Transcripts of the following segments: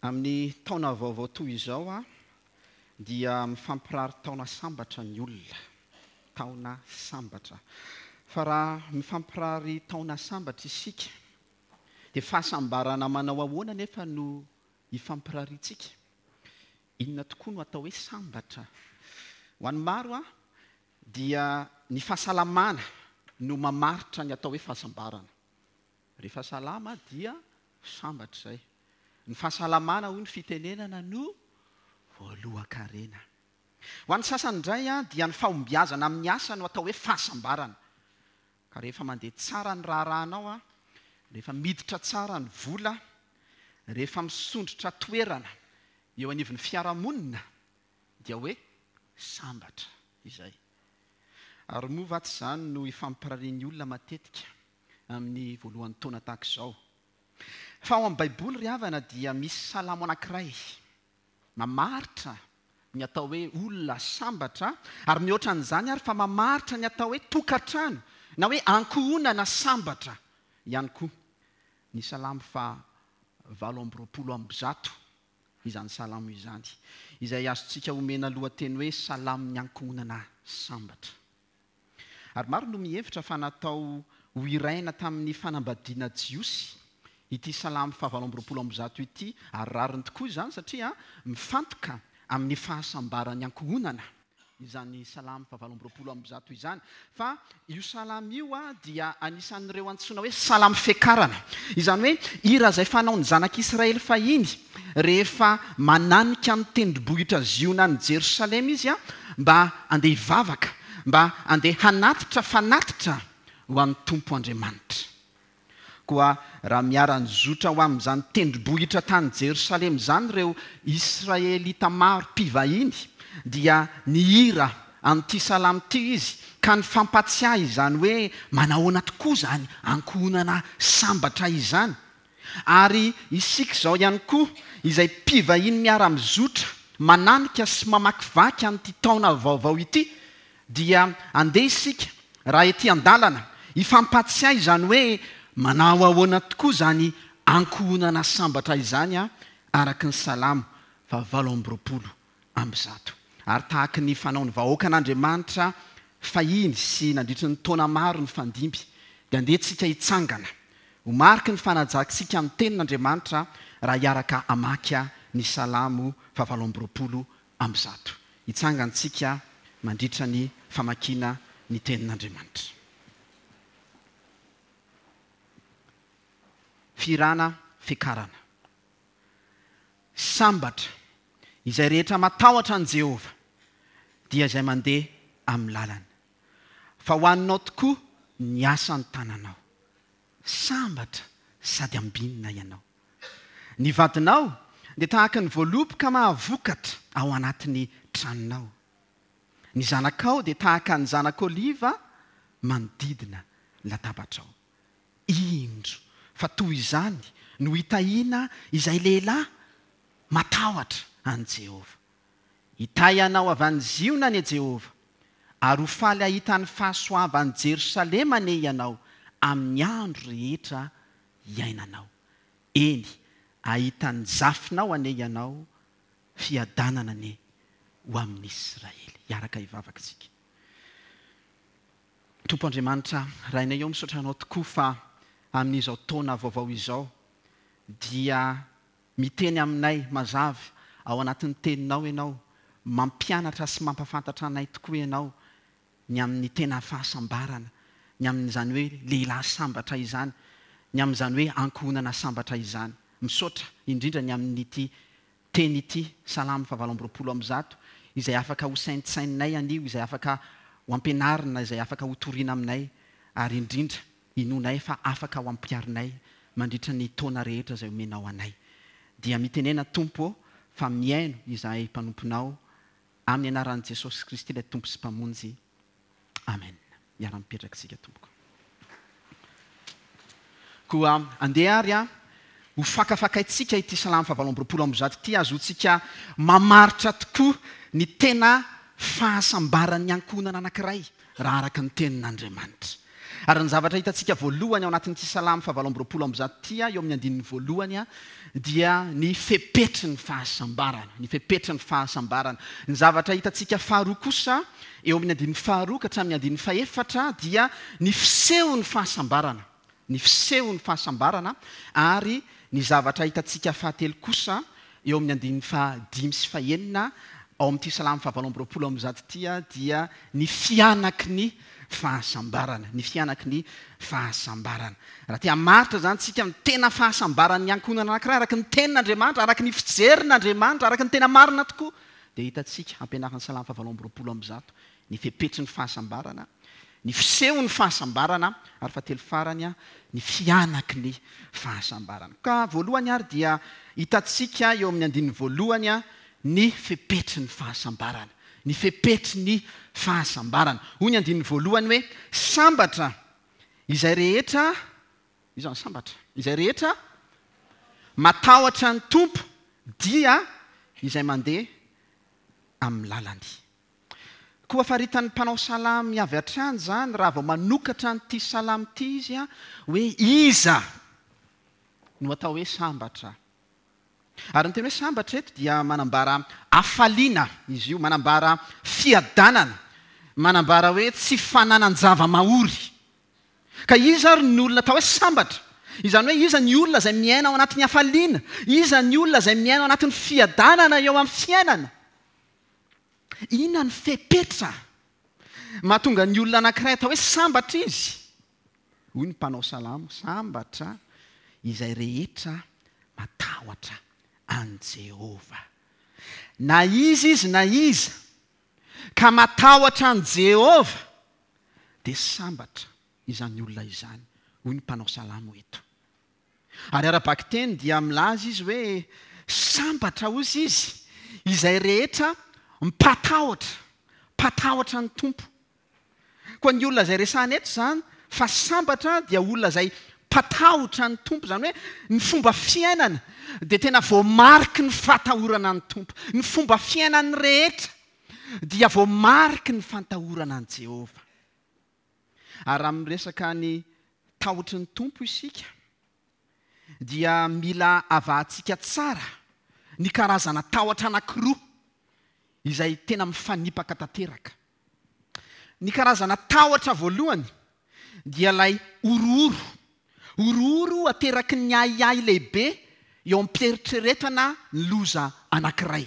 Amin'ny taona vaovao toy izao dia mifampirary taona sambatra ny olona. Taona sambatra. Fa raha mifampirary taona sambatra isika dia fahasambarana manao ahoana anefa no ifampirariantsika? Inona tokoa no atao hoe sambatra? Ho an'ny maro dia ny fahasalamana no mamaritra ny atao hoe fahasambarana. Rehefa salama dia sambatra izay. Ny fahasalamana hoy ny fitenenana no voalohan-karena. Ho an'ny sasany indray dia ny fahombiazana amin'ny asa no atao hoe fahasambarana. Ka rehefa mandeha tsara ny raharahanao, rehefa miditra tsara ny vola, rehefa misondrotra toerana eo anivon'ny fiarahamonina dia hoe sambatra izay. Ary moa va tsy izany no ifampirarian'ny olona matetika amin'ny voalohan'ny taona tahaka izao? Fa ao amin'ny Baiboly ry havana dia misy salamo anankiray mamaritra ny atao hoe olona sambatra ary mihoatra an'izany ary fa mamaritra ny atao hoe tokantrano na hoe ankohonana sambatra ihany koa ny salamo faha 128 izany salamo izany, izay azontsika omena lohateny hoe Salamon'ny Ankohonana Sambatra. Ary maro no mihevitra fa natao hohiraina tamin'ny fanambadiana jiosy ity Salamo faha 128 ity, ary rariny tokoa izany satria mifantoka amin'ny fahasambaran'ny ankohonana izany Salamo faha 128 izany. Fa io Salamo io dia anisan'ireo antsoina hoe Salamo fiakarana. Izany hoe hira izay fanaon'ny zanak'Israely fahiny rehefa mananika ny tendrombohitra Ziona any Jerosalema izy mba handeha hivavaka, mba handeha hanatitra fanatitra ho an'ny Tompo Andriamanitra. Koa raha miara-nizotra ho amin'izany tendrombohitra tany Jerosalema izany ireo Israelita maro mpivahiny, dia nihira an'ity salamo ity izy, ka nifampatsiahy izany hoe manahoana tokoa izany ankohonana sambatra izany. Ary isika izao ihany koa, izay mpivahiny miara-mizotra mananika sy mamakivaky an'ity taona vaovao ity, dia andeha isika, raha ety an-dalana, hifampatsiahy izany hoe manao ahoana tokoa izany ankohonana sambatra izany araka ny Salamo faha 128. Ary tahaky ny fanaon'ny vahoakan'Andriamanitra fahiny sy nandritry ny taona maro nifandimby, dia andeha tsika hitsangana ho mariky ny fanajantsika ny Tenin'Andriamanitra raha hiaraka hamaky ny Salamo faha 128. Hitsangantsika mandritra ny famakiana ny Tenin'Andriamanitra. Fihirana fiakarana. Sambatra izay rehetra matahotra an'i Jehovah, dia izay mandeha amin'ny lalany. Fa ho anao tokoa ny asan'ny tananao. Sambatra sady ambinina ianao. Ny vadinao dia tahaka ny voaloboka mahavokatra ao anatin'ny tranonao. Ny zanakao dia tahaka ny zanak'oliva manodidina ny latabatrao. Indro fa toy izany no hitahiana izay lehilahy matahotra an'i Jehovah. Hitahy anao avy any Ziona anie Jehovah, ary ho faly hahita ny fahasoavan'i Jerosalema anie ianao amin'ny andro rehetra iainanao. Eny, hahita ny zafinao anie ianao, fiadanana anie ho amin'i Israely. Hiaraka hivavaka isika. Tompo Andriamanitra, Rainay ô, misaotra Anao tokoa fa amin'izao taona vaovao izao dia miteny aminay mazava ao anatin'ny Teninao Ianao, mampianatra sy mampafantatra anay tokoa Ianao ny amin'ny tena fahasambarana, ny amin'izany hoe lehilahy sambatra izany, ny amin'izany hoe ankohonana sambatra izany. Misaotra indrindra ny amin'ity teny ity, Salamo faha 128, izay afaka ho saintsaininay anio, izay afaka ho ampianarina, izay afaka ho torina aminay, ary indrindra inoanay fa afaka ho ampiharinay mandritra ny taona rehetra izay omenao anay. Dia mitenena Tompo ô, fa mihaino izahay mpanomponao, Amin'ny anaran'i Jesosy Kristy ilay Tompo sy Mpamonjy. Amen. Miara-mipetraka isika tompoko. Koa andeha ary ho fakafakaintsika ity Salamo faha 128 ity hahazoantsika mamaritra tokoa ny tena fahasambaran'ny ankohonana anankiray raha araka ny tenin'Andriamanitra. Ary ny zavatra hitantsika voalohany ao anatin'ity Salamo fahavalo amby 120 ity, eo amin'ny andininy voalohany, dia ny fepetry ny fahasambarana. Ny fepetry ny fahasambarana. Ny zavatra hitantsika faharoa kosa, eo amin'ny andininy faharoa ka hatramin'ny andininy fahefatra, dia ny fisehon'ny fahasambarana. Ny fisehon'ny fahasambarana. Ary ny zavatra hitantsika fahatelo kosa, eo amin'ny andininy fahadimy sy fahenina, ao amin'ity Salamo fahavalo amby 120 ity, dia ny fihanaky ny fahasambarana, ny fihanaky ny fahasambarana. Raha te hamaritra izany isika ny tena fahasambaran'ny ankohonana anankiray araka ny Tenin'Andriamanitra, araka ny fijerin'Andriamanitra, araka ny tena marina tokoa, dia hitantsika, ampianarin'ny Salamo fahavalo amby 120, ny fepetry ny fahasambarana, ny fisehon'ny fahasambarana, ary fahatelo farany, ny fihanaky ny fahasambarana. Ka voalohany ary dia hitantsika eo amin'ny andininy voalohany ny fepetry ny fahasambarana. Ny fepetry ny fahasambarana. Hoy ny andininy voalohany hoe, Sambatra izay rehetra, iza no sambatra? Izay rehetra matahotra ny Tompo dia izay mandeha amin'ny lalany. Koa faritan'ny mpanao salamo avy hatrany izany raha vao manokatra an'ity salamo ity izy hoe iza no atao hoe sambatra. Ary ny teny hoe sambatra eto dia manambara hafaliana izy io, manambara fiadanana, manambara hoe tsy fananan-java-mahory. Ka iza ary ny olona atao hoe sambatra? Izany hoe iza ny olona izay miaina ao anatin'ny hafaliana? Iza ny olona izay miaina ao anatin'ny fiadanana eo amin'ny fiainana? Inona ny fepetra mahatonga ny olona anankiray atao hoe sambatra izy? Hoy ny mpanao salamo, Sambatra izay rehetra matahotra an'i Jehovah. Na iza izy na iza ka matahotra an'i Jehovah, dia sambatra izany olona izany, hoy ny mpanao salamo eto. Ary ara-bakiteny dia milaza izy hoe, Sambatra, hozy izy, izay rehetra mpatahotra, mpatahotra ny Tompo. Koa ny olona izay resahina eto izany fa sambatra dia olona izay mpatahotra ny Tompo, izany hoe ny fomba fiainana dia tena voamariky ny fahatahorana ny Tompo. Ny fomba fiainany rehetra dia voamariky ny fantahorana an'i Jehovah. Ary raha miresaka ny tahotry ny Tompo isika dia mila avahantsika tsara ny karazana tahotra anankiroa izay tena mifanipaka tanteraka. Ny karazana tahotra voalohany dia ilay horohoro. Horohoro ateraky ny ahiahy lehibe eo am-pieritreretana ny loza anankiray.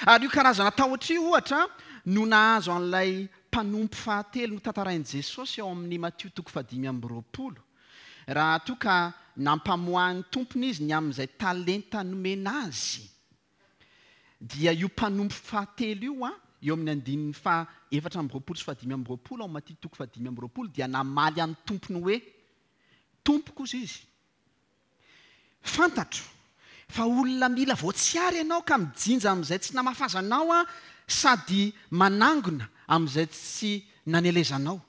Ary io karazana tahotra io, ohatra, no nahazo an'ilay mpanompo fahatelo notantarain'i Jesosy ao amin'ny Matio toko fahadimy amby 20, raha toa ka nampamoahin'ny tompony izy ny amin'izay talenta nomena azy. Dia io mpanompo fahatelo io, eo amin'ny andininy faha 24 sy faha 25 ao Matio toko faha 25 dia namaly an'ny tompony hoe, Tompoko, hozy izy, fantatro fa olona mila voatsiary ianao ka mijinja amin'izay tsy namafazanao aho sady manangona amin'izay tsy nanelezanao.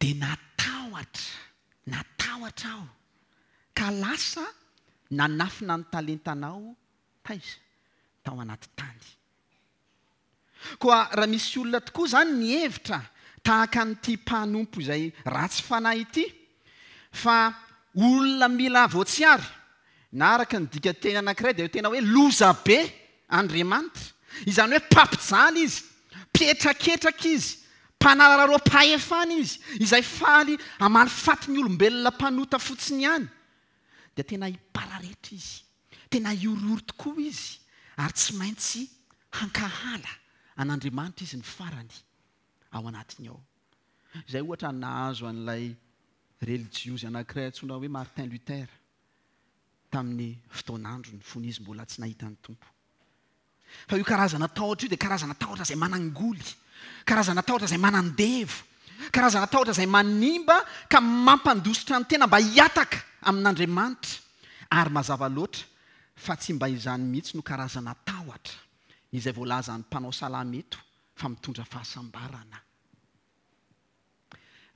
Dia natahotra, natahotra aho, ka lasa nanafina ny talentanao taiza? Tao anaty tany. Koa raha misy olona tokoa izany mihevitra tahaka an'ity mpanompo izay ratsy fanahy ity, fa olona mila voatsiary, na araka ny dikanteny anankiray dia tena hoe loza be Andriamanitra. Izany hoe mpampijaly izy, mpietraketraka izy, mpanararaoam-pahefana izy, izay faly hamaly faty ny olombelona mpanota fotsiny ihany. Dia tena hipararetra izy, tena hihorohoro tokoa izy, ary tsy maintsy hankahala an'Andriamanitra izy ny farany ao anatiny ao. Izay ohatra no nahazo an'ilay relijiozy anankiray antsoina hoe Martin Luther. tamin'ny fotoan'androny fony izy mbola tsy nahita ny Tompo. Fa io karazana tahotra io dia karazana tahotra izay manangoly, karazana tahotra izay manandevo, karazana tahotra izay manimba ka mampandositra ny tena mba hihataka amin'Andriamanitra. Ary mazava loatra fa tsy mba izany mihitsy no karazana tahotra izay voalazan'ny mpanao salamo eto fa mitondra fahasambarana.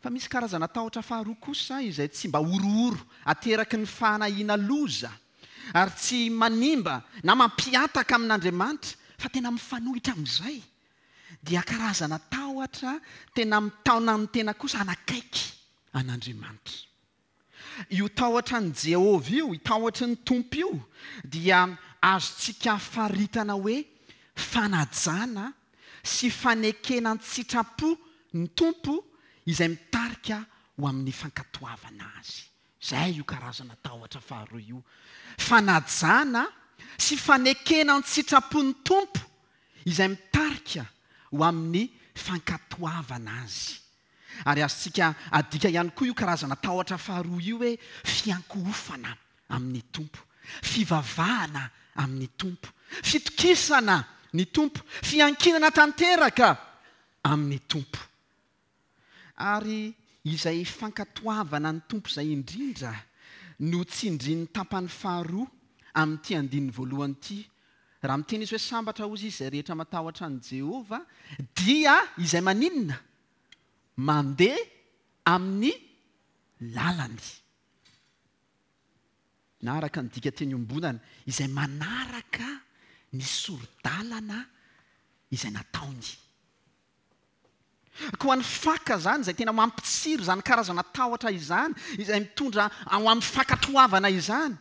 Fa misy karazana tahotra faharoa kosa izay tsy mba horohoro ateraky ny fahanahiana loza ary tsy manimba na mampihataka amin'Andriamanitra fa tena mifanohitra amin'izay dia karazana tahotra. tahotra tena mitaona ny tena kosa hanakaiky an'Andriamanitra. Io tahotra an'i Jehovah io, io tahotry ny Tompo io, dia azontsika faritana hoe fanajana sy fanekena an-tsitrapo ny Tompo izay mitarika ho amin'ny fankatoavana Azy. Izay io karazana tahotra faharoa io. Fanajana sy fanekena an-tsitrapo ny Tompo izay mitarika ho amin'ny fankatoavana Azy. Ary azontsika adika ihany koa io karazana tahotra faharoa io hoe fiankohofana amin'ny Tompo, fivavahana amin'ny Tompo, fitokisana ny Tompo, fiankinana tanteraka amin'ny Tompo. Ary izay fankatoavana ny Tompo izay indrindra no tsindrin'ny tapany faharoa amin'ity andininy voalohany ity. Raha miteny izy hoe sambatra hozy izy izay rehetra matahotra an'i Jehovah, dia izay maninona? Mandeha amin'ny lalany. Na araka ny dikanteny iombonana, izay manaraka ny sori-dalana izay nataony. Koa ny faka izany, izay tena mampitsiry izany karazana tahotra izany, izay mitondra ao amin'ny fankatoavana izany,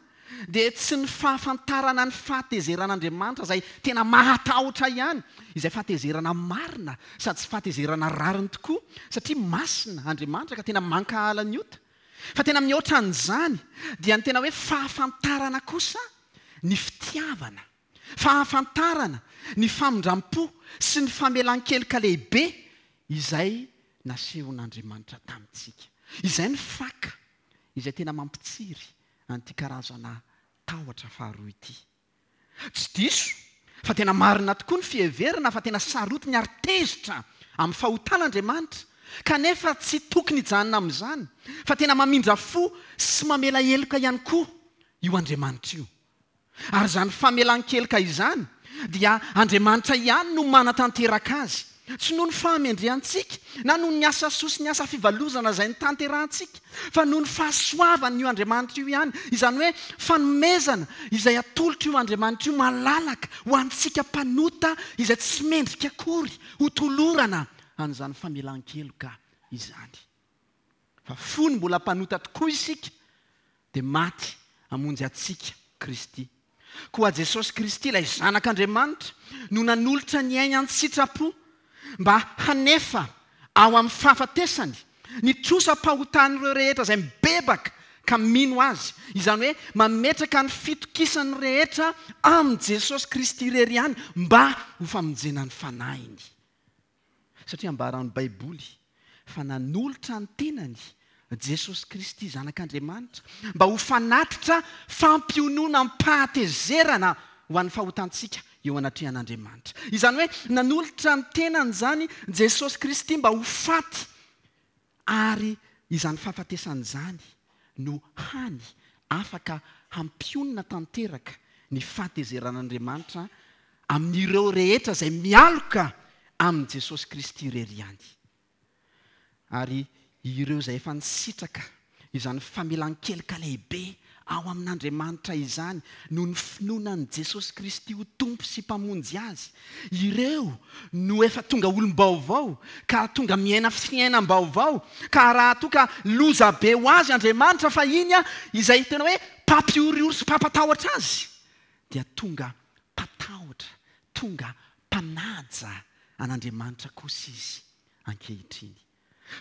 dia tsy ny fahafantarana ny fahatezeran'Andriamanitra izay tena mahatahotra ihany, izay fahatezerana marina sady tsy fahatezerana rariny tokoa, satria masina Andriamanitra ka tena mankahala ny ota. Fa tena mihoatra an'izany, dia ny tena hoe fahafantarana kosa ny fitiavana. Fahafantarana ny famindram-po sy ny famelan-keloka lehibe izay nasehon'Andriamanitra tamintsika. Izay ny faka izay tena mampitsiry an'ity karazana tahotra faharoa ity. Tsy diso fa tena marina tokoa ny fiheverana fa tena sarotiny ary tezitra amin'ny fahotana Andriamanitra, kanefa tsy tokony hijanona amin'izany fa tena mamindra fo sy mamela heloka ihany koa io Andriamanitra io. Ary izany famelan-keloka izany dia Andriamanitra ihany no manatanteraka azy, tsy noho ny fahamendrehantsika na noho ny asa soa sy ny asa fivalozana izay notanterahantsika, fa noho ny fahasoavan'io Andriamanitra io ihany, izany hoe fanomezana izay atolotr'io Andriamanitra io malalaka ho antsika mpanota izay tsy mendrika akory hotolorana an'izany famelan-keloka izany. Fa fony mbola mpanota tokoa isika, dia maty hamonjy antsika Kristy. Koa Jesosy Kristy, ilay Zanak'Andriamanitra, no nanolotra ny ainy an-tsitrapo mba hanefa ao amin'ny fahafatesany ny trosam-pahotan'ireo rehetra izay mibebaka ka mino Azy, izany hoe mametraka ny fitokisany rehetra amin'i Jesosy Kristy irery ihany mba ho famonjena ny fanahiny. Satria ambaran'ny Baiboly fa nanolotra ny tenany Jesosy Kristy Zanak'Andriamanitra mba ho fanatitra fampiononam-pahatezerana ho an'ny fahotantsika eo anatrehan'Andriamanitra. Izany hoe nanolotra ny tenany izany Jesosy Kristy mba ho faty ary izany fahafatesany izany no hany afaka hampionona tanteraka ny fahatezeran'Andriamanitra amin'ireo rehetra izay mialoka amin'i Jesosy Kristy irery ihany. Ary ireo izay efa nisitraka izany famelan-keloka lehibe ao amin'Andriamanitra izany noho ny finoana an'i Jesosy Kristy ho Tompo sy Mpamonjy azy. Ireo no efa tonga olom-baovao ka tonga miaina fiainam-baovao ka raha toa ka loza be ho azy Andriamanitra fahiny izay tena hoe mpampihorihoro sy mpampatahotra azy dia tonga mpatahotra, tonga mpanaja an'Andriamanitra kosa izy ankehitriny.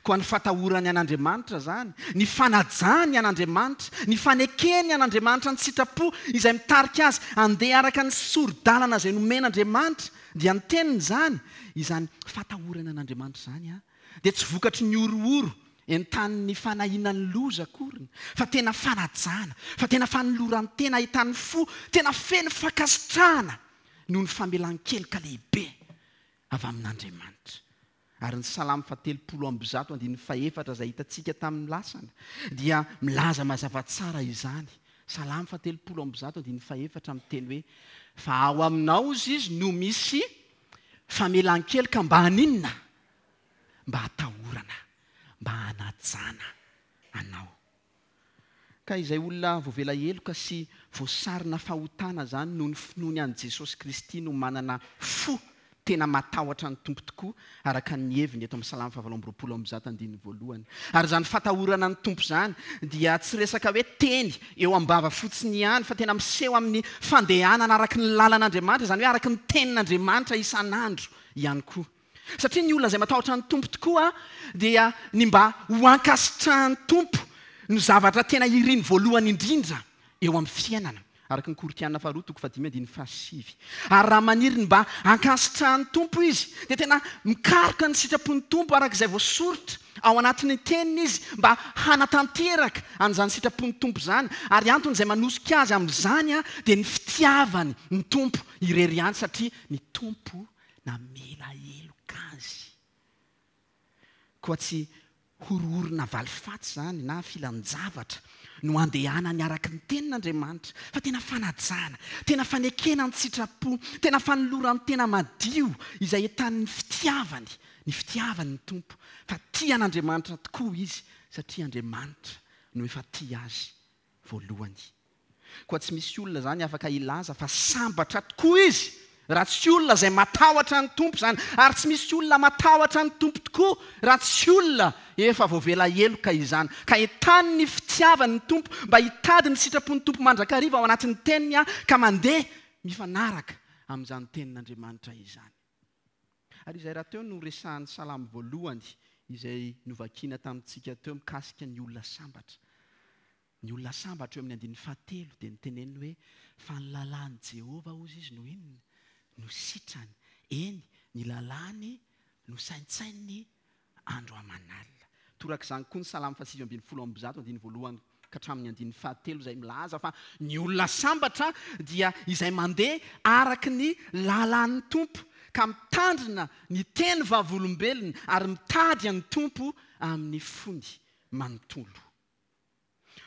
Koa ny fatahorany an'Andriamanitra izany, ny fanajany an'Andriamanitra, ny fanekeny an'Andriamanitra ny sitrapo izay mitarika azy handeha araka ny sori-dalana izay nomen'Andriamanitra, dia ny teniny izany, izany fatahorana an'Andriamanitra izany dia tsy vokatry ny horohoro entanin'ny fanahiana ny loza akoriny, fa tena fanajana, fa tena fanoloran-tena ahitan'ny fo tena feno fankasitrahana noho ny famelan-keloka lehibe avy amin'Andriamanitra. Ary ny Salamo fahatelopolo ambizato andininy fahefatra izay hitantsika tamin'ny lasana dia milaza mazava tsara izany. Salamo fahatelopolo ambizato andininy fahefatra miteny hoe, Fa ao aminao hozy izy no misy famelan-keloka mba haninona? Mba hatahorana, mba hanajana anao. Ka izay olona voavela heloka sy voasarona fahotana izany noho ny finoany an'i Jesosy Kristy no manana fo. tena matahotra ny Tompo tokoa araka ny heviny eto amin'ny Salamo fahavalo amby roapolo amby zato andininy voalohany. Ary izany fatahorana ny Tompo izany dia tsy resaka hoe teny eo am-bava fotsiny ihany fa tena miseho amin'ny fandehanana araka ny lalan'Andriamanitra, izany hoe araka ny tenin'Andriamanitra isan'andro ihany koa. Satria ny olona izay matahotra ny Tompo tokoa dia ny mba ho ankasitrahan'ny Tompo no zavatra tena iriny voalohany indrindra eo amin'ny fiainana, araka ny Korintiana faharoa toko fahadimy andininy fahasivy. Ary raha maniry ny mba hankasitrahan'ny Tompo izy, dia tena mikaroka ny sitrapon'ny Tompo araka izay voasoritra ao anatin'ny Teniny izy mba hanatanteraka an'izany sitrapon'ny Tompo izany, ary antony izay manosika azy amin'izany dia ny fitiavany ny Tompo irery ihany, satria ny Tompo namela heloka azy. Koa tsy horohorona valifaty izany na filan-javatra no andehanany araka ny Tenin'Andriamanitra, fa tena fanajana, tena fanekena an-tsitrapo, tena fanoloran-tena madio izay entanin'ny fitiavany, ny fitiavany ny Tompo, fa tia an'Andriamanitra tokoa izy satria Andriamanitra no efa tia azy voalohany. Koa tsy misy olona izany afaka hilaza fa sambatra tokoa izy raha tsy olona izay matahotra ny Tompo izany, ary tsy misy olona matahotra ny Tompo tokoa raha tsy olona efa voavela heloka izany. Ka entany ny fitiavany ny Tompo mba hitady ny sitrapon'ny Tompo mandrakariva ao anatin'ny Teniny ka mandeha mifanaraka amin'izany Tenin'Andriamanitra izany. Ary izay rahateo no resahan'ny Salamo voalohany izay novakiana tamintsika teo mikasika ny olona sambatra. Ny olona sambatra eo amin'ny andininy fahatelo dia niteneniny hoe, Fa ny lalàn'i Jehovah, hozy izy, no inona? No sitrany. Eny, ny lalàny no saintsaininy andro aman'alina. Torak'izany koa ny Salamo fahasivy ambin'ny folo amby zato, andininy voalohany ka hatramin'ny andininy fahatelo, izay milaza fa ny olona sambatra dia izay mandeha araka ny lalàn'ny Tompo, ka mitandrina ny teny vavolombelony ary mitady an'ny Tompo amin'ny fony manontolo.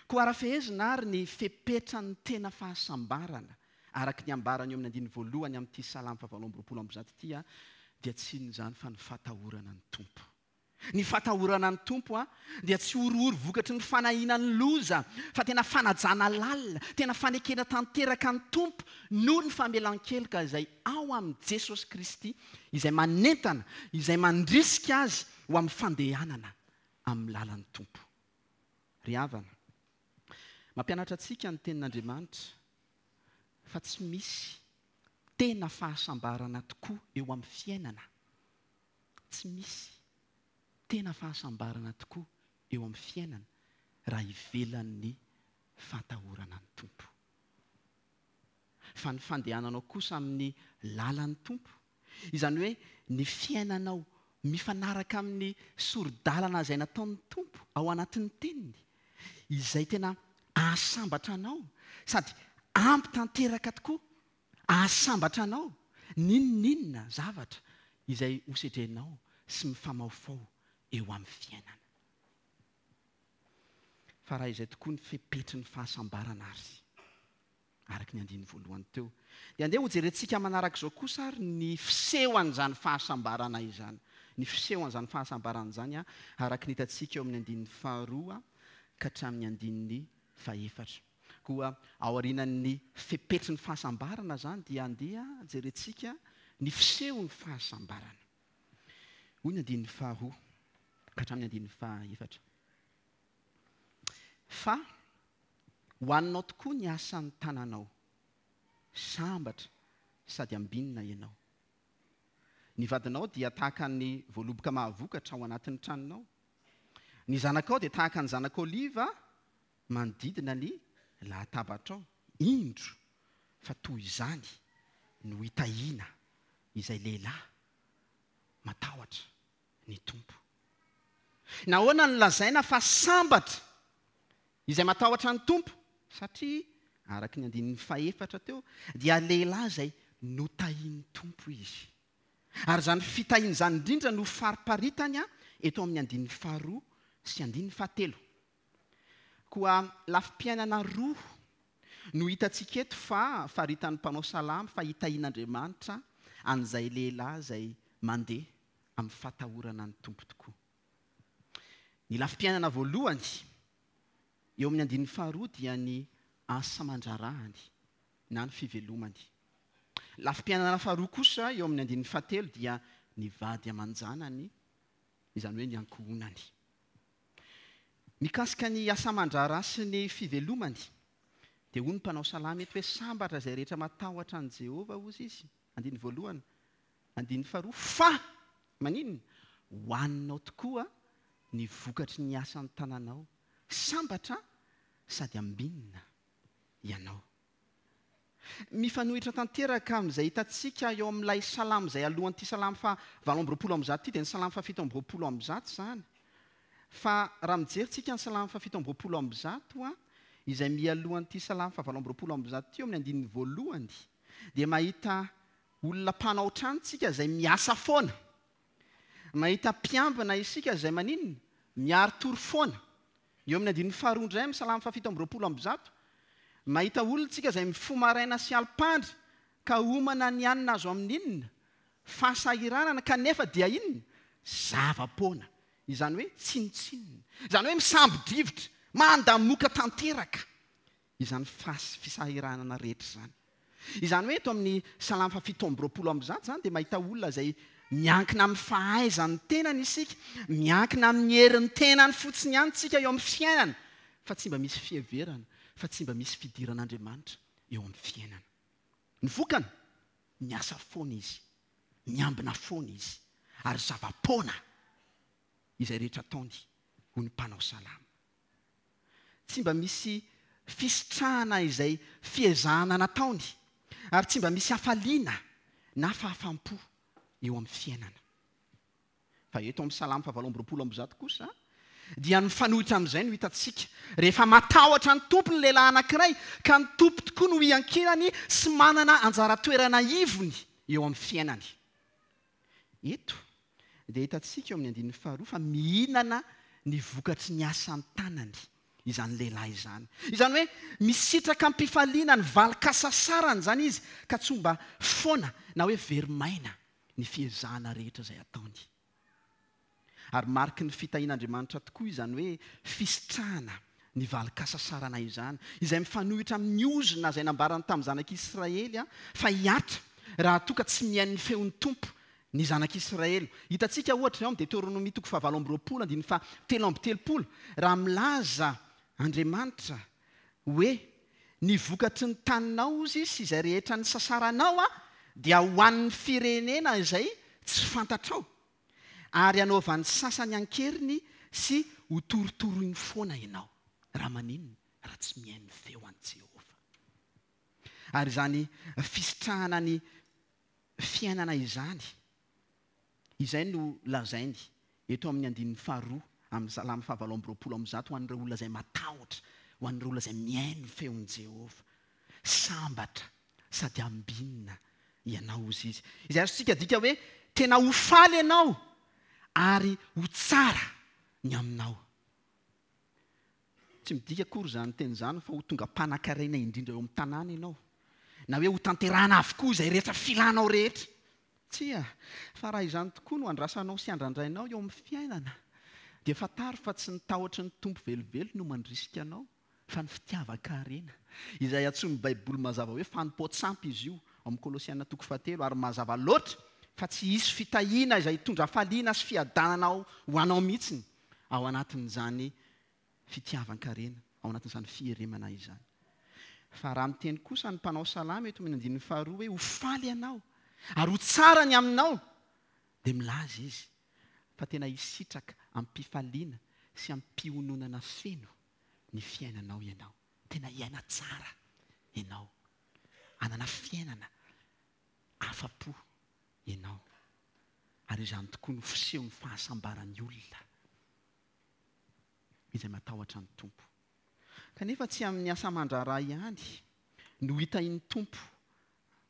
Koa ara-fehezina àry ny fepetran'ny tena fahasambarana, araka ny ambarany eo amin'ny andininy voalohany amin'ity Salamo fahavalo amby roapolo amby zato ity, dia tsy inona izany fa ny fatahorana ny Tompo. Ny fatahorana ny Tompo dia tsy horohoro vokatry ny fanahiana ny loza, fa tena fanajana lalina, tena fanekena tanteraka ny Tompo noho ny famelan-keloka izay ao amin'i Jesosy Kristy, izay manentana, izay mandrisika azy ho amin'ny fandehanana amin'ny lalan'ny Tompo. Ry havana, mampianatra antsika ny Tenin'Andriamanitra fa tsy misy tena fahasambarana tokoa eo amin'ny fiainana, tsy misy tena fahasambarana tokoa eo amin'ny fiainana raha ivelan'ny fahatahorana ny Tompo. Fa ny fandehananao kosa amin'ny lalan'ny Tompo, izany hoe ny fiainanao mifanaraka amin'ny sori-dalana izay nataon'ny Tompo ao anatin'ny Teniny, izay tena hahasambatra anao sady ampy tanteraka tokoa hahasambatra anao n'inon'inona zavatra izay hosedrenao sy mifamaofao eo amin'ny fiainana. Fa raha izay tokoa ny fepetry ny fahasambarana ary. araka ny andininy voalohany teo. Dia andeha hojerentsika manaraka izao kosa ary ny fisehoan'izany fahasambarana izany. Ny fisehoan'izany fahasambarana izany araka ny hitantsika eo amin'ny andininy faharoa ka hatramin'ny andininy fahefatra. Koa aorianan'ny fepetry ny fahasambarana izany dia andeha jerentsika ny fisehon'ny fahasambarana. Hoy ny andininy faharoa ka hatramin'ny andininy fahefatra. Fa hohaninao tokoa ny asan'ny tananao. Sambatra sady ambinina ianao. Ny vadinao dia tahaka ny voaloboka mahavokatra ao anatin'ny tranonao. Ny zanakao dia tahaka ny zanak'oliva manodidina ny lahatabatrao. Indro fa toy izany no hitahiana izay lehilahy matahotra ny Tompo. Nahoana no lazaina fa sambatra izay matahotra ny Tompo? Satria, araka ny andininy fahefatra teo, dia lehilahy izay notahin'ny Tompo izy. Ary izany fitahiana izany indrindra no fariparitany eto amin'ny andininy faharoa sy andininy fahatelo. Koa lafim-piainana roa no hitantsika eto fa faritan'ny mpanao salamo fa hitahian'Andriamanitra an'izay lehilahy izay mandeha amin'ny fatahorana ny Tompo tokoa. Ny lafim-piainana voalohany eo amin'ny andininy faharoa dia ny asa aman-draharahany na ny fivelomany. Lafim-piainana faharoa kosa eo amin'ny andininy fahatelo dia ny vady aman-janany, izany hoe ny ankohonany. Mikasika ny asa aman-draharaha sy ny fivelomany, dia hoy ny mpanao salamo eto hoe sambatra izay rehetra matahotra an'i Jehovah, hozy izy, andininy voalohany, andininy faharoa, fa maninona? Hohaninao tokoa ny vokatry ny asan'ny tananao, sambatra sady ambinina ianao. Mifanohitra tanteraka amin'izay hitantsika eo amin'ilay salamo izay alohan'ity salamo faha 128 ity dia ny salamo faha 127 izany. Fa raha mijery tsika ny salamo faha 127 izay mialohan'ity salamo faha 128 ity eo amin'ny andininy voalohany dia mahita olona mpanao trano tsika izay miasa foana. Mahita mpiambina isika izay maninona? Miari-tory foana. Eo amin'ny andininy faharoa indray amin'ny Salamo fahafito amby 120, mahita olona isika izay mifoha maraina sy alim-pandry ka homana ny hanina azo amin'ny inona? Fahasahiranana, kanefa dia inona? Zava-poana. Izany hoe tsinontsinona. Izany hoe misambo-drivotra, mandamoka tanteraka. izany fisahiranana rehetra izany. Izany hoe eto amin'ny Salamo faha 127 izany dia mahita olona izay miankina amin'ny fahaizan'ny tenany isika, miankina amin'ny herin'ny tenany fotsiny ihany isika eo amin'ny fiainana, fa tsy mba misy fiheverana, fa tsy mba misy fidiran'Andriamanitra eo amin'ny fiainana. Ny vokany? Miasa foana izy, miambina foana izy, ary zava-poana izay rehetra ataony, hoy ny mpanao salamo. Tsy mba misy fisitrahana izay fiezahana nataony, ary tsy mba misy hafaliana na fahafaham-po eo amin'ny fiainana. Fa eto amin'ny Salamo fahavalo amby 120 kosa, dia ny mifanohitra amin'izay no hitantsika. Rehefa matahotra ny Tompo ny lehilahy anankiray, ka ny Tompo tokoa no iankinany sy manana anjara toerana ivony eo amin'ny fiainany. Eto dia hitantsika eo amin'ny andininy faharoa fa mihinana ny vokatry ny asan-tanany izany lehilahy izany. Izany hoe misitraka am-pifaliana ny valin-kasasarany izany izy ka tsy ho mba foana na hoe very maina ny fiezahana rehetra izay ataony. Ary mariky ny fitahian'Andriamanitra tokoa izany hoe fisitrahana ny valin-kasasarana izany, izay mifanohitra amin'ny ozona izay nambarany tamin'ny zanak'Israely fa hihatra raha toa ka tsy mihaino ny feon'ny Tompo ny zanak'Israely. Hitantsika ohatra ao amin'ny Deteronomia toko fahavalo amby roapolo andininy faha 33 raha milaza Andriamanitra hoe, Ny vokatry ny taninao ozy sy izay rehetra nisasaranao dia ho an'ny firenena izay tsy fantatrao. Ary hanaovan'ny sasany an-keriny sy hotorotoroiny foana ianao. Raha maninona? Raha tsy mihaino ny feo an'i Jehovah. Ary izany fisitrahana ny fiainana izany, izay no lazainy eto amin'ny andininy faharoa amin'ny Salamo fahavalo amby 120 ho an'ireo olona izay matahotra, ho an'ireo olona izay mihaino ny feon'i Jehovah. Sambatra sady ambinina ianao, hozy izy. Izay azontsika adika hoe tena ho faly ianao ary ho tsara ny aminao. Tsy midika akory izany teny izany fa ho tonga mpanankarena indrindra eo amin'ny tanàna ianao, na hoe hotanterahana avokoa izay rehetra filanao rehetra. Tsia, fa raha izany tokoa no andrasanao sy andrandrainao eo amin'ny fiainana, dia fantaro fa tsy ny tahotry ny Tompo velively no mandrisika anao, fa ny fitiavan-karena, izay antsoin'ny Baiboly mazava hoe fanompoan-tsampy izy io, ao amin'ny Kolosiana toko fahatelo, ary mazava loatra fa tsy hisy fitahiana izay hitondra hafaliana sy fiadanana ho anao mihitsy ao anatin'izany fitiavan-karena, ao anatin'izany fieremana izany. Fa raha miteny kosa ny mpanao salamo eto amin'ny andininy faharoa hoe ho faly ianao ary ho tsara ny aminao, dia milaza izy fa tena hisitraka amim-pifaliana sy amim-piononana feno ny fiainanao ianao. Tena hiaina tsara ianao. Hanana fiainana afa-po ianao. Ary izany tokoa no fisehon'ny fahasambaran'ny olona izay matahotra ny Tompo. Kanefa tsy amin'ny asa aman-draharaha ihany no hitahian'ny Tompo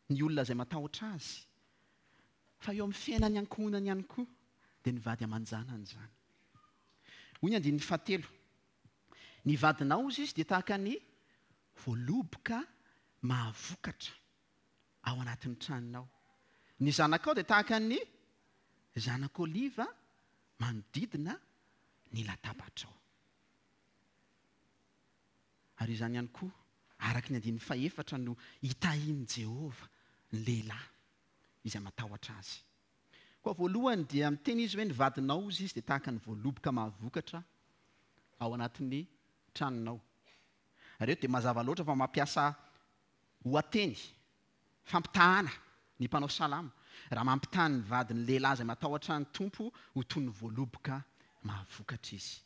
ny olona izay matahotra Azy, fa eo amin'ny fiainan'ny ankohonany ihany koa, dia ny vady aman-janany izany. Hoy ny andininy fahatelo, Ny vadinao, hozy izy, dia tahaka ny voaloboka mahavokatra ao anatin'ny tranonao. Ny zanakao dia tahaka ny zanak'oliva manodidina ny latabatrao. Ary izany ihany koa, araka ny andininy fahefatra, no hitahian'i Jehovah ny lehilahy izay matahotra azy. Koa voalohany dia miteny izy hoe ny vadinao hozy izy dia tahaka ny voaloboka mahavokatra ao anatin'ny tranonao. Ary eto dia mazava loatra fa mampiasa ohateny, fampitahana, ny mpanao salamo raha mampitaha ny vadin'ny lehilahy izay matahotra ny Tompo ho toy ny voaloboka mahavokatra izy.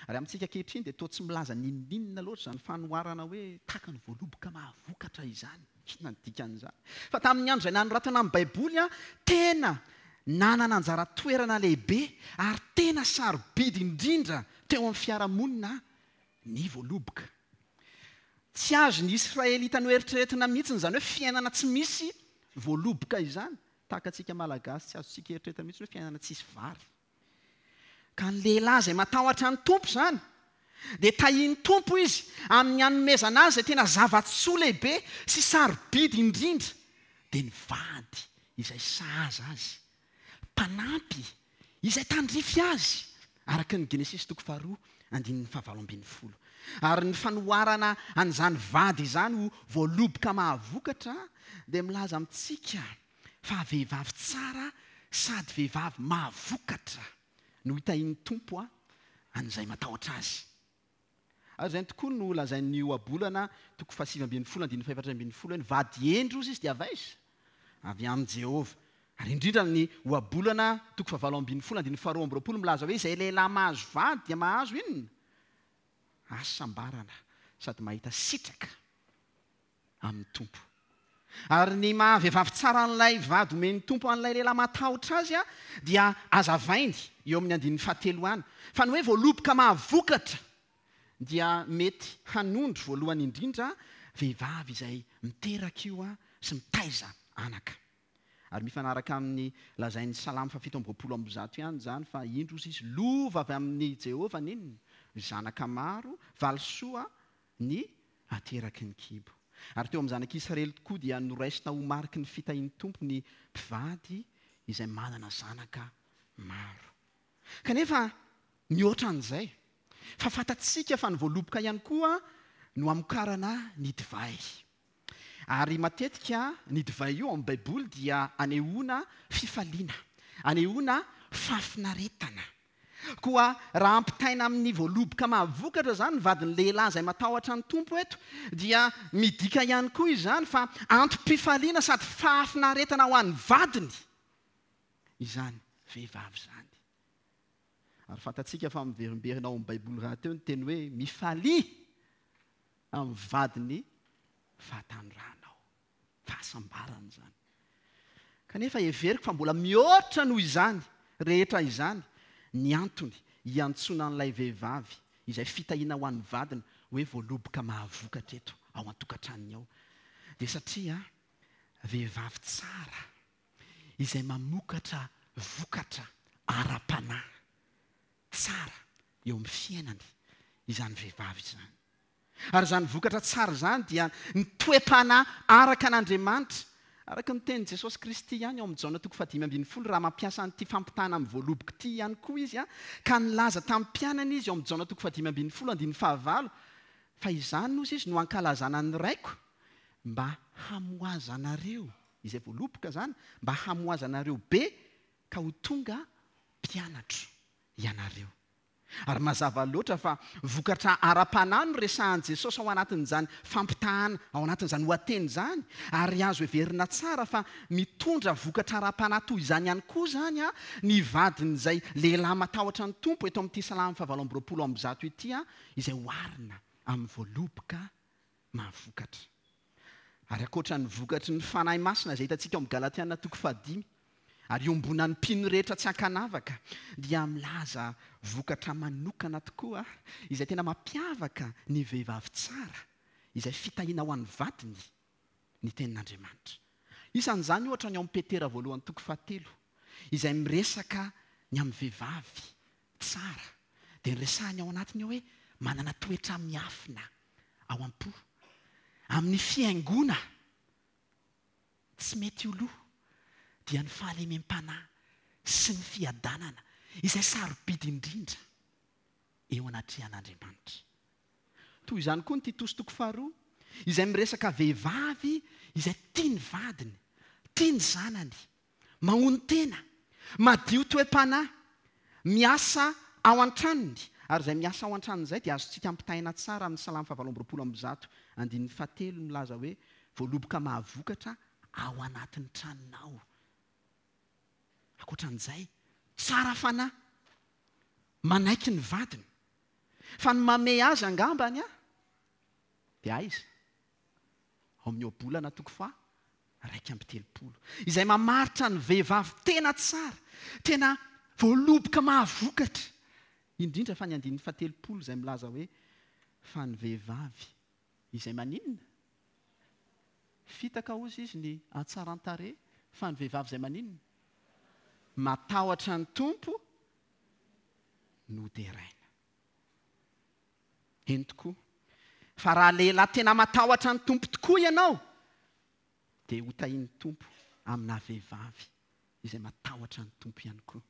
Ary amintsika ankehitriny dia toa tsy milaza n'inon'inona loatra izany fanoharana hoe tahaka ny voaloboka mahavokatra izany. Inona no dikan'izany? Fa tamin'ny andro izay nanoratana ny Baiboly, tena nanana anjara toerana lehibe ary tena sarobidy indrindra teo amin'ny fiarahamonina ny voaloboka. Tsy azon'ny Israelita noeritreretina mihitsy izany hoe fiainana tsy misy voaloboka izany. Tahaka antsika Malagasy tsy azontsika eritreretina mihitsy hoe fiainana tsisy vary. Ka ny lehilahy izay matahotra ny Tompo izany, dia tahian'ny Tompo izy amin'ny hanomezana azy izay tena zava-tsoa lehibe sy sarobidy indrindra, dia ny vady izay sahaza azy, mpanampy izay tandrify azy, araka ny Genesisy toko faharoa andininy fahavalo ambinifolo. Ary ny fanoharana an'izany vady izany ho voaloboka mahavokatra dia milaza amintsika fa vehivavy tsara sady vehivavy mahavokatra no hitahian'ny Tompo an'izay matahotra Azy. Ary izany tokoa no lazain'ny Ohabolana toko fahasivy ambinifolo andininy fahefatra ambinifolo hoe ny vady hendry hozy izy dia avy aiza? Avy amin'i Jehovah. Ary indrindra ny Ohabolana toko fahavalo ambinifolo andininy faharoa amby roapolo milaza hoe izay lehilahy mahazo vady dia mahazo inona? Hasambarana sady mahita sitraka amin'ny Tompo. Ary ny maha vehivavy tsara an'ilay vady omen'ny Tompo an'ilay lehilahy matahotra azy dia azavainy eo amin'ny andininy fahatelo any fa ny hoe voaloboka mahavokatra dia mety hanondro voalohany indrindra vehivavy izay miteraka io sy mitaiza anaka. Ary mifanaraka amin'ny lazain'ny Salamo fahafito amby 120 ihany izany fa indro hozy izy lova avy amin'i Jehovah n'inona? Zanaka maro, valisoa ny ateraky ny kibo. Ary teo amin'ny zanak'i Israely tokoa dia noraisina ho mariky ny fitahian'ny Tompo ny mpivady izay manana zanaka maro. Kanefa mihoatra an'izay, fa fantatsika fa ny voaloboka ihany koa no hamokarana ny divay. Ary matetika ny divay io ao amin'ny Baiboly dia anehoana fifaliana, anehoana fahafinaretana. Koa raha ampitaina amin'ny voaloboka mahavokatra izany ny vadin'ny lehilahy izay matahotra ny Tompo eto, dia midika ihany koa izany fa antom-pifaliana sady fahafinaretana ho an'ny vadiny izany vehivavy izany. Ary fantatsika fa miverimberina ao amin'ny Baiboly rahateo ny teny hoe mifalia amin'ny vadin'ny fahatanoranao. Fahasambarana izany. Kanefa heveriko fa mbola mihoatra noho izany rehetra izany ny antony hiantsoana an'ilay vehivavy izay fitahiana ho an'ny vadiny hoe voaloboka mahavokatra eto ao an-tokantranony ao. Dia satria vehivavy tsara izay mamokatra vokatra ara-panahy tsara eo amin'ny fiainany izany vehivavy izany. Ary izany vokatra tsara izany dia ny toe-panahy araka an'Andriamanitra, araka ny tenin'i Jesosy Kristy ihany ao amin'ny Jaona toko fahadimy ambinifolo, raha mampiasa an'ity fampitahana amin'ny voaloboka ity ihany koa izy, ka nilaza tamin'ny mpianany izy ao amin'ny Jaona toko fahadimy ambinifolo andininy fahavalo, Fa izany, hozy izy, no hankalazana ny Raiko, mba hamoazanareo, izay voaloboka izany, mba hamoazanareo be ka ho tonga mpianatro ianareo. Ary mazava loatra fa vokatra ara-panahy no resahan'i Jesosy ao anatin'izany fampitahana, ao anatin'izany ohateny izany, ary azo heverina tsara fa mitondra vokatra ara-panahy toy izany ihany koa izany ny vadin'izay lehilahy matahotra ny Tompo eto amin'ity Salamo fahavalo amby 120 ity, izay oharina amin'ny voaloboka mahavokatra. Ary ankoatra ny vokatry ny Fanahy Masina izay hitantsika ao amin'ny Galatiana toko fahadimy, ary iombonan'ny mpino rehetra tsy ankanavaka, dia milaza vokatra manokana tokoa izay tena mampiavaka ny vehivavy tsara, izay fitahiana ho an'ny vadiny, ny Tenin'Andriamanitra. Isan'izany ohatra ny ao amin'ny Petera voalohany toko fahatelo, izay miresaka ny amin'ny vehivavy tsara, dia ny resahiny ao anatiny ao hoe manana toetra miafina ao am-po, amin'ny fihaingoana tsy mety ho lo, dia ny fahalemem-panahy sy ny fiadanana izay sarobidy indrindra eo anatrehan'Andriamanitra. Toy izany koa ny Titosy toko faharoa, izay miresaka vehivavy izay tia ny vadiny. Tia ny zanany, mahonon-tena, madio toe-panahy, miasa ao an-tranony, ary izay miasa ao an-tranony izay dia azontsika ampitahaina tsara amin'ny Salamo fahavalo amby 120 andininy fahatelo milaza hoe voaloboka mahavokatra ao anatin'ny tranonao. Ankoatran'izay, tsara fanahy, manaiky ny vadiny. Fa ny mamehy azy angambany an, dia aiza? Ao amin'ny Ohabolana toko faha 31. Izay mamaritra ny vehivavy tena tsara, tena voaloboka mahavokatra. Indrindra fa ny andininy faha 30 izay milaza hoe, Fa ny vehivavy izay maninona? Fitaka hozy izy ny hatsaran-tarehy, fa ny vehivavy izay maninona? Matahotra ny Tompo no deraina. Eny tokoa, fa raha lehilahy tena matahotra ny Tompo tokoa ianao, dia hotahian'ny Tompo aminà vehivavy izay matahotra ny Tompo ihany koa.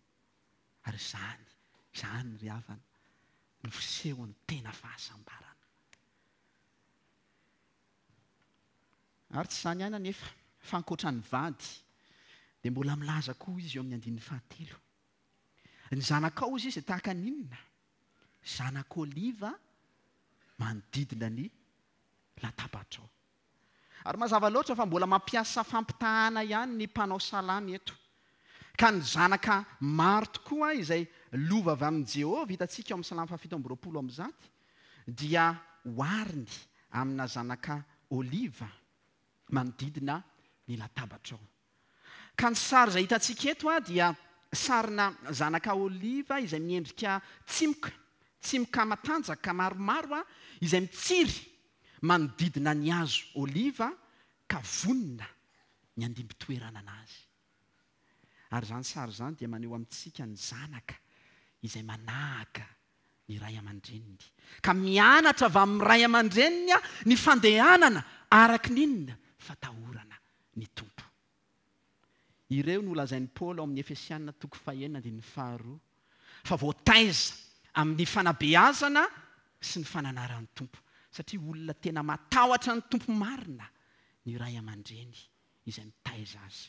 Ary izany, izany ry havana, no fisehon'ny tena fahasambarana. Ary tsy izany ihany anefa, fa ankoatra ny vady, dia mbola milaza koa izy eo amin'ny andininy fahatelo. Ny zanakao, hozy izy, dia tahaka ny inona? Zanak'oliva manodidina ny latabatrao. Ary mazava loatra fa mbola mampiasa fampitahana ihany ny mpanao salamo eto. Ka ny zanaka maro tokoa izay lova avy amin'i Jehovah hitantsika ao amin'ny Salamo fahafito amby 120 dia ohariny amina zanaka oliva manodidina ny latabatrao. Ka ny sary izay hitantsika eto dia sarina zanaka oliva izay miendrika tsimoka, tsimoka matanjaka maromaro izay mitsiry manodidina ny hazo oliva ka vonona ny handimby toerana anazy. Ary izany sary izany dia maneho amintsika ny zanaka izay manahaka ny ray aman-dreniny. Ka mianatra avy amin'ny ray aman-dreniny ny fandehanana araka ny inona? Fatahorana ny Tompo. Ireo no lazain'i Paoly ao amin'ny Efesiana toko fahenina andininy faharoa fa voataiza amin'ny fanabeazana sy ny fananaran'ny Tompo, satria olona tena matahotra ny Tompo marina ny ray aman-dreny izay mitaiza azy.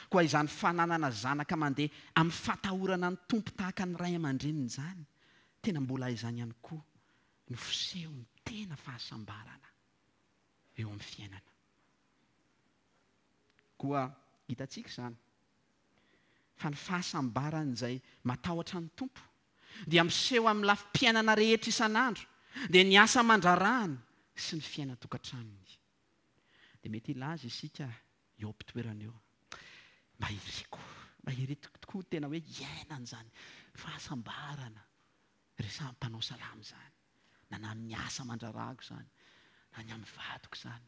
Koa izany fananana zanaka mandeha amin'ny fatahorana ny Tompo tahaka ny ray aman-dreniny izany, tena mbola izany ihany koa no fisehon'ny tena fahasambarana eo amin'ny fiainana. Koa hitantsika izany fa ny fahasambaran'izay matahotra ny Tompo dia miseho amin'ny lafim-piainana rehetra isan'andro, dia ny asa aman-draharahany sy ny fiainan-tokantranony. Dia mety hilaza isika eo am-pitoerana eo, mba iriko, mba iriko tokoa tena hoe hiainana izany fahasambarana resahan'ny mpanao salamo izany, na na amin'ny asa aman-draharahako izany, na ny amin'ny vadiko izany,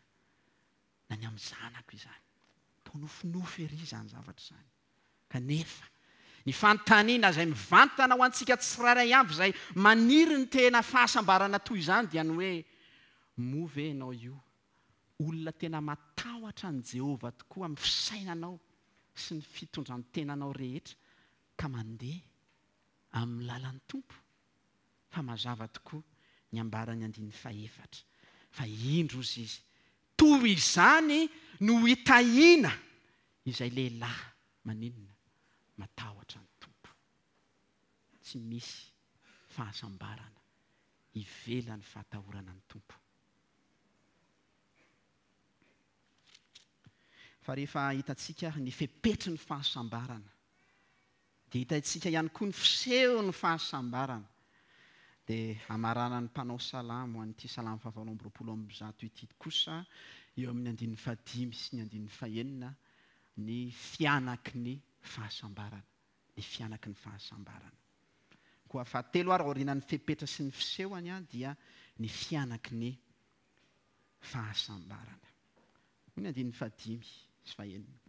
na ny amin'ny zanako izany. Toa nofinofy ery izany zavatra izany. Kanefa, ny fanontaniana izay mivantana ho antsika tsirairay avy izay maniry ny tena fahasambarana toy izany dia ny hoe, Moa ve ianao io olona tena matahotra an'i Jehovah tokoa amin'ny fisainanao sy ny fitondran-tenanao rehetra ka mandeha amin'ny lalan'ny Tompo? Fa mazava tokoa ny ambaran'ny andininy fahefatra fa indro ozy izy, toy izany no hitahiana izay lehilahy maninona? Matahotra ny Tompo. Tsy misy fahasambarana ivelan'ny fahatahorana ny Tompo. Fa rehefa hitantsika ary ny fepetry ny fahasambarana, dia hitantsika ihany koa ny fisehon'ny fahasambarana. Dia hamaranan'ny mpanao salamo an'ity salamo fahavalo amby 120 ity kosa eo amin'ny andininy fahadimy sy ny andininy fahenina ny fihanaky ny fahasambarana, ny fihanaky ny fahasambarana. Koa fahatelo ary aorianan'ny fepetra sy ny fisehony dia ny fihanaky ny fahasambarana. Hoy ny andininy fahadimy sy fahenina.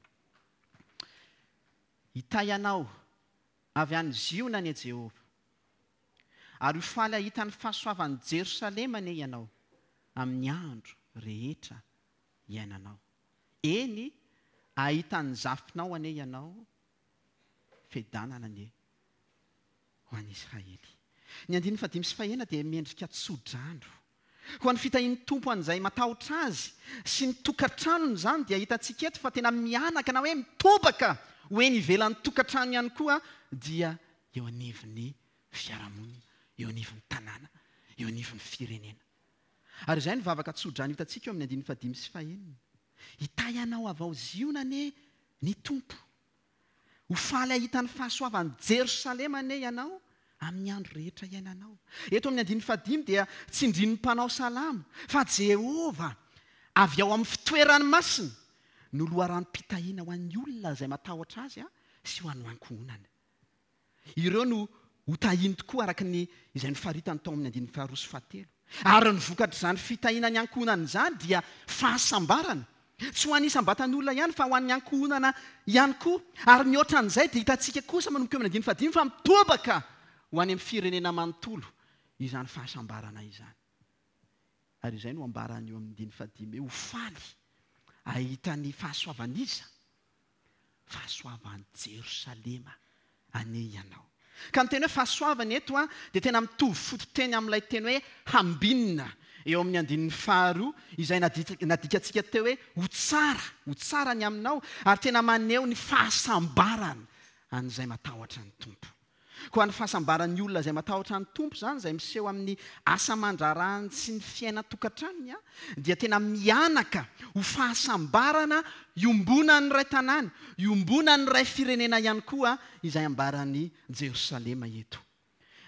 Hitahy anao avy any Ziona anie Jehovah, ary ho faly hahita ny fahasoavan'i Jerosalema anie ianao amin'ny andro rehetra iainanao. Eny, hahita ny zafinao anie ianao, fiadanana anie ho an'i Israely. Ny andininy fahadimy sy fahenina dia miendrika tsodrano. Koa ny fitahian'ny Tompo an'izay matahotra Azy sy ny tokantranony izany dia hitantsika eto fa tena mihanaka na hoe mitobaka ho eny ivelan'ny tokantrano ihany koa dia eo anivon'ny fiarahamonina, eo anivon'ny tanàna, eo anivon'ny firenena. Ary izay no vavaka tsodrano hitantsika eo amin'ny andininy fahadimy sy fahenina. Hitahy anao avy ao Ziona anie ny Tompo. Ho faly hahita ny fahasoavan'i Jerosalema anie ianao amin'ny andro rehetra iainanao. Eto amin'ny andininy fahadimy dia tsindrin'ny mpanao salamo fa Jehovah, avy ao amin'ny fitoerany masina, no loharanom-pitahiana ho an'ny olona izay matahotra Azy sy ho an'ny ankohonany. Ireo no hotahiny tokoa araka ny izay nofaritany tao amin'ny andininy faharoa sy fahatelo. Ary ny vokatr'izany fitahiana ny ankohonana izany dia fahasambarana, tsy ho an'ny isam-batan'olona ihany fa ho an'ny ankohonana ihany koa. Ary mihoatra an'izay dia hitantsika kosa manomboka eo amin'ny andininy fahadimy fa mitobaka ho any amin'ny firenena manontolo izany fahasambarana izany. Ary izay no ambarany eo amin'ny andininy fahadimy hoe ho faly hahita ny fahasoavan'iza? Fahasoavan'i Jerosalema anie ianao. Ka ny teny hoe fahasoavana eto dia tena mitovy fototeny amin'ilay teny hoe hambinina eo amin'ny andininy faharoa izay nadikantsika teo hoe ho tsara, ho tsara ny aminao, ary tena maneho ny fahasambarana an'izay matahotra ny Tompo. Koa ny fahasambaran'ny olona izay matahotra ny Tompo izany, izay miseho amin'ny asa aman-draharahany sy ny fiainan-tokantranony, dia tena mihanaka ho fahasambarana iombonan'ny iray tanàna, iombonan'ny iray firenena ihany koa izay ambaran'i Jerosalema eto.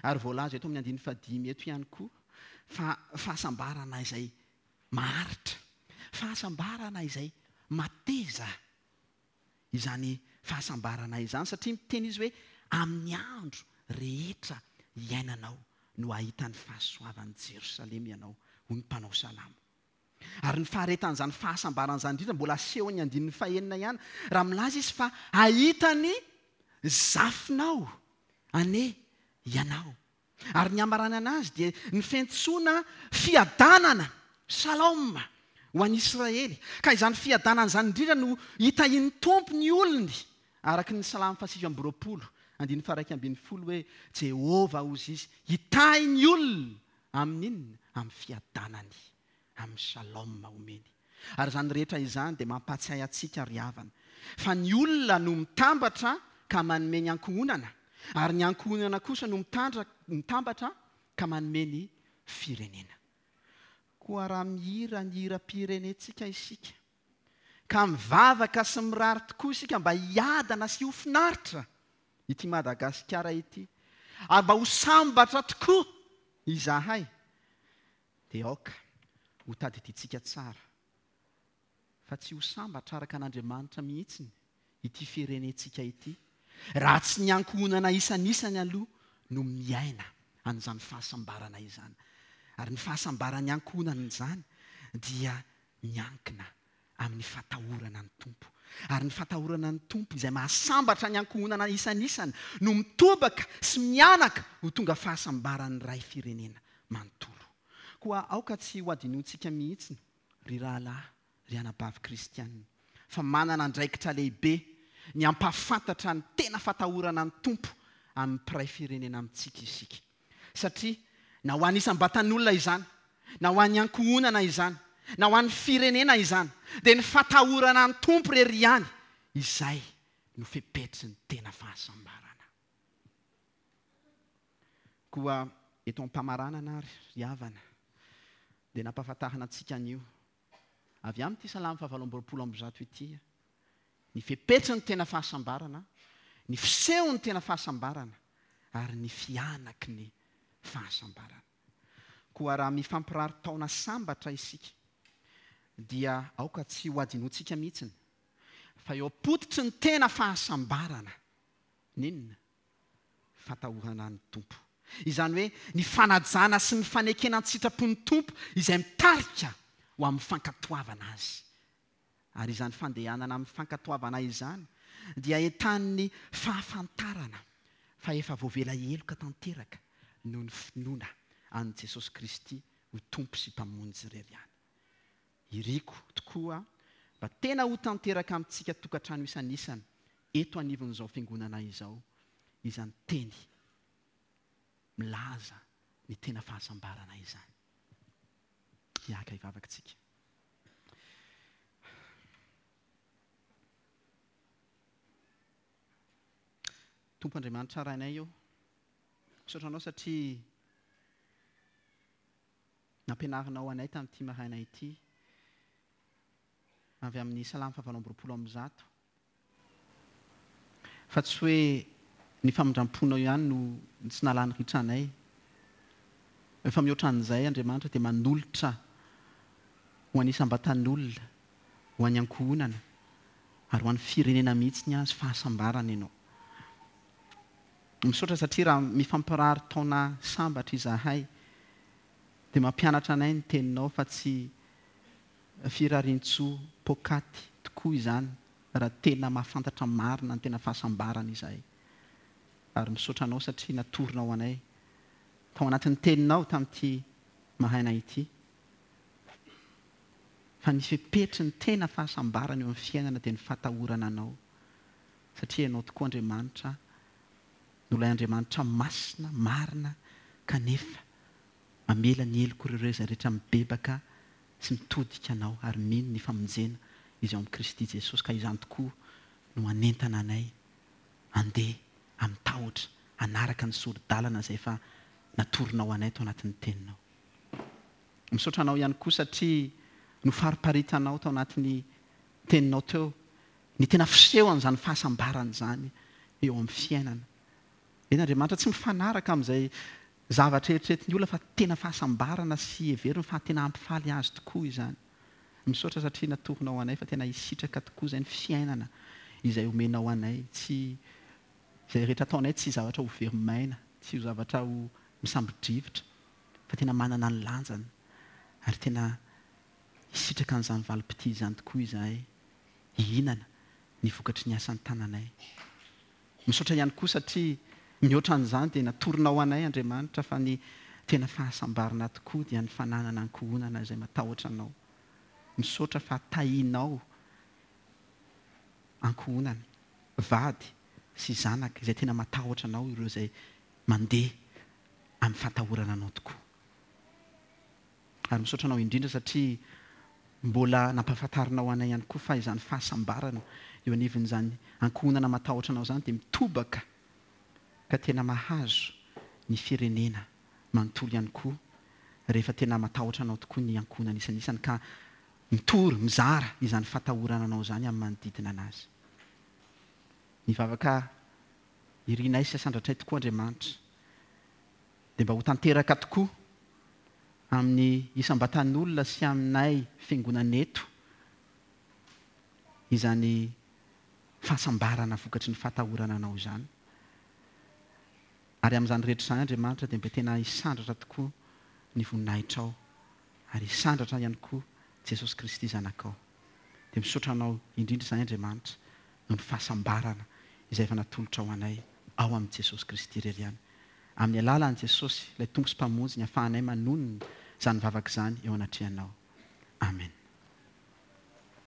Ary voalaza eto amin'ny andininy fahadimy eto ihany koa fa fahasambarana izay maharitra, fahasambarana izay mateza izany fahasambarana izany satria miteny izy hoe amin'ny andro rehetra iainanao no hahita ny fahasoavan'i Jerosalema ianao, hoy ny mpanao salamo. Ary ny faharetan'izany fahasambarana izany indrindra mbola asehon'ny andininy fahenina ihany raha milaza izy fa hahita ny zafinao anie ianao. Ary ny hamaranana azy dia ny fiantsoana fiadanana, shalom, ho an'i Israely. Ka izany fiadanana izany indrindra no hitahian'ny Tompo ny olony, araka ny Salamo fahasivy amby 20, andininy faha-11 hoe, Jehovah, hozy izy, hitahy ny olony amin'inona? Amin'ny fiadanany, amin'ny shalom omeny. Ary izany rehetra izany dia mampahatsiahy antsika ry havana, fa ny olona no mitambatra ka manome ny ankohonana, ary ny ankohonana kosa no mitambatra ka manome ny firenena. Koa raha mihira ny hiram-pirenentsika isika, ka mivavaka sy mirary tokoa isika mba hiadana sy ho finaritra ity Madagasikara ity, ary mba ho sambatra tokoa izahay, Dia aoka ho tadidintsika tsara fa tsy ho sambatra araka an'Andriamanitra mihitsiny ity firenentsika ity raha tsy ny ankohonana isanisany aloha no miaina an'izany fahasambarana izany. Ary ny fahasambaran'ny ankohonana izany dia miankina amin'ny fatahorana ny Tompo. Ary ny fatahorana ny Tompo izay mahasambatra ny ankohonana isanisany no mitobaka sy mihanaka ho tonga fahasambaran'ny ray firenena manontolo. Koa aoka tsy ho adinointsika mihitsy, ry rahalahy, ry anabavy kristiana, fa manana andraikitra lehibe ny hampahafantatra ny tena fatahorana ny Tompo amin'ny mpiray firenena amintsika isika. Satria na ho an'ny isam-batan'olona izany, na ho an'ny ankohonana izany, na ho an'ny firenena izany, dia ny fatahorana ny Tompo irery ihany izay no fepetry ny tena fahasambarana. Koa eto am-pamaranana ary ry havana, dia nampahafantarina antsika anio, avy amin'ity Salamo fahavalo amby 120 ity, ny fepetry ny tena fahasambarana, ny fisehon'ny tena fahasambarana, ary ny fihanaky ny fahasambarana. Koa raha mifampirary taona sambatra isika, dia aoka tsy hohadinointsika mihitsiny fa eo am-pototry ny tena fahasambarana ny inona? Fatahorana ny Tompo. Izany hoe ny fanajana sy ny fanekena an-tsitrapon'ny Tompo izay mitarika ho amin'ny fankatoavana Azy. Ary izany fandehanana amin'ny fankatoavana izany dia entanin'ny fahafantarana fa efa voavela heloka tanteraka noho ny finoana an'i Jesosy Kristy ho Tompo sy Mpamonjy irery ihany. Iriko tokoa mba tena ho tanteraka amintsika tokantrano isan'isany eto anivon'izao Fiangonana izao izany teny milaza ny tena fahasambarana izany. Hiaka hivavaka isika. Tompo Andriamanitra Rainay ô, misaotra Anao satria nampianarinao anay tamin'ity maraina ity avy amin'ny Salamo fahavalo amby 120 fa tsy hoe ny famindram-ponao ihany no tsy nahalany ritra anay fa mihoatra an'izay Andriamanitra dia manolotra ho an'ny isam-batan'olona ho an'ny ankohonana ary ho an'ny firenena mihitsy ny azy fahasambarana ianao. Misaotra satria raha mifampirary taona sambatra izahay dia mampianatra anay ny teninao fa tsy firariantsoa poakaty tokoa izany raha tena mahafantatra marina ny tena fahasambarana izahay. Ary misaotra anao satria natoronao anay tao anatin'ny teninao tamin'ity maraina ity. Fa ny fepetry ny tena fahasambarana eo amin'ny fiainana dia ny fatahorana Anao, satria Ianao tokoa Andriamanitra no ilay Andriamanitra masina, marina, kanefa mamela ny helok'ireo izay rehetra mibebaka sy mitodika Anao ary mino ny famonjena izay ao amin'i Kristy Jesosy, ka izany tokoa no hanentana anay handeha amin'ny tahotra, hanaraka ny sori-dalana izay efa natoronao anay tao anatin'ny Teninao. Misaotra anao ihany koa satria nofariparitanao tao anatin'ny teninao teo ny tena fisehon'izany fahasambarana izany eo amin'ny fiainana. Eny Andriamanitra tsy mifanaraka amin'izay zavatra eritreretin'ny olona fa tena fahasambarana sy heveriny fa tena hampifaly azy tokoa izany. Misaotra satria natoronao anay fa tena hisitraka tokoa izay ny fiainana izay omenao anay. Tsy izay rehetra ataonay tsy zavatra ho very maina, tsy ho zavatra ho misambo-drivotra fa tena manana ny lanjany ary tena hisitraka an'izany valim-pitia izany tokoa izahay, hihinana ny vokatry ny asan'ny tananay. Misaotra ihany koa satria mihoatra an'izany dia natoronao anay Andriamanitra fa ny tena fahasambarana tokoa dia ny fananana ankohonana izay matahotra Anao. Misaotra fa tahinao ankohonana, vady sy zanaka izay tena matahotra Anao ireo izay mandeha amin'ny fahatahorana Anao tokoa. Ary misaotra Anao indrindra satria mbola nampahafantarinao anay ihany koa fa izany fahasambarana eo anivon'izany ankohonana matahotra Anao izany dia mitobaka ka tena mahazo ny firenena manontolo ihany koa rehefa tena matahotra Anao tokoa ny ankohonana isanisany ka mitory, mizara izany fahatahorana Anao izany amin'ny manodidina anazy. Ny vavaka irinay sy asandratray tokoa Andriamanitra dia mba ho tanteraka tokoa amin'ny isam-batan'olona sy aminay fiangonana eto izany fahasambarana vokatry ny fahatahorana Anao izany. Ary amin'izany rehetra izany Andriamanitra dia mba tena hisandratra tokoa ny voninahitrao ary hisandratra ihany koa Jesosy Kristy Zanakao. Dia misaotra Anao indrindra izahay Andriamanitra noho ny fahasambarana izay efa natolotrao anay ao amin'i Jesosy Kristy irery ihany. Amin'ny alalan'i Jesosy, ilay Tompo sy Mpamonjy, ny ahafahanay manonona izany vavaka izany eo anatrehanao. Amen.